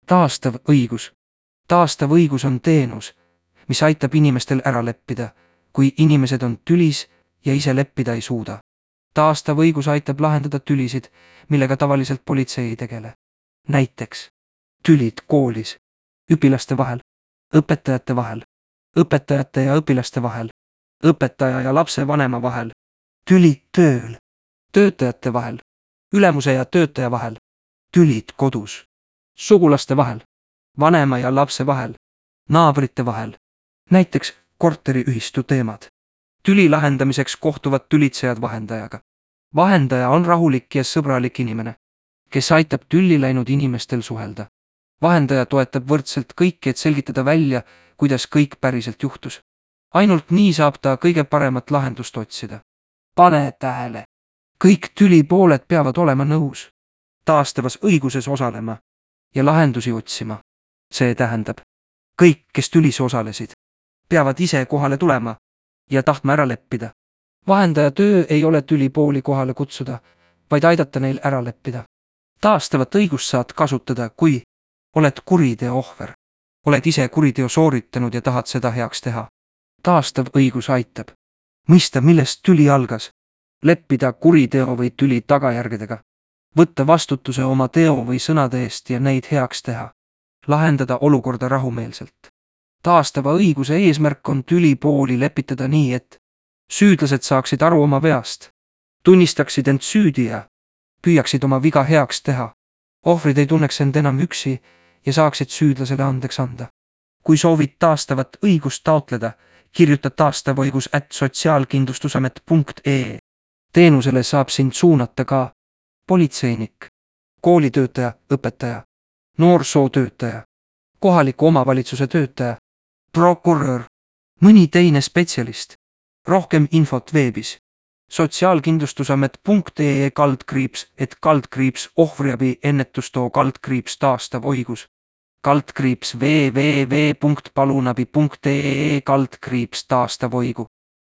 Taastav õigus. Taastav õigus on teenus, mis aitab inimestel ära leppida, kui inimesed on tülis ja ise leppida ei suuda. Taastav õigus aitab lahendada tülisid, millega tavaliselt politsei ei tegele. Näiteks tülid koolis, õpilaste vahel, õpetajate vahel, õpetajate ja õpilaste vahel, õpetaja ja lapsevanema vahel, tülid tööl, töötajate vahel, ülemuse ja töötaja vahel, tülid kodus, sugulaste vahel, vanema ja lapse vahel, naabrite vahel, näiteks korteriühistu teemad. Tüli lahendamiseks kohtuvad tülitsejad vahendajaga. Vahendaja on rahulik ja sõbralik inimene, kes aitab tülli läinud inimestel suhelda. Vahendaja toetab võrdselt kõiki, et selgitada välja, kuidas kõik päriselt juhtus. Ainult nii saab ta kõige paremat lahendust otsida. Pane tähele. Kõik tülipooled peavad olema nõus, taastavas õiguses osalema ja lahendusi otsima. See tähendab, kõik, kes tülis osalesid, peavad ise kohale tulema ja tahtma ära leppida. Vahendaja töö ei ole tülipooli kohale kutsuda, vaid aidata neil ära leppida. Taastavat õigust saad kasutada, kui oled kuriteo ohver, oled ise kuriteo sooritanud ja tahad seda heaks teha. Taastav õigus aitab mõista, millest tüli algas, leppida kuriteo või tüli tagajärgedega, võtta vastutuse oma teo või sõnade eest ja neid heaks teha, lahendada olukorda rahumeelselt. Taastava õiguse eesmärk on tülipooli lepitada nii, et süüdlased saaksid aru oma veast, tunnistaksid end süüdi ja püüaksid oma viga heaks teha. Ohvrid ei tunneks end enam üksi ja saaksid süüdlasele andeks anda. Kui soovid taastavat õigust taotleda, kirjuta taastavõigus@sotsiaalkindlustusamet.ee. Teenusele saab sind suunata ka politseinik, koolitöötaja, õpetaja, noorsootöötaja, kohaliku omavalitsuse töötaja, prokurör, mõni teine spetsialist. Rohkem infot veebis sotsiaalkindlustusamet.ee/, ohvriabi ennetustoo /taastav õigus, www.palunabi.ee/taastav õigu.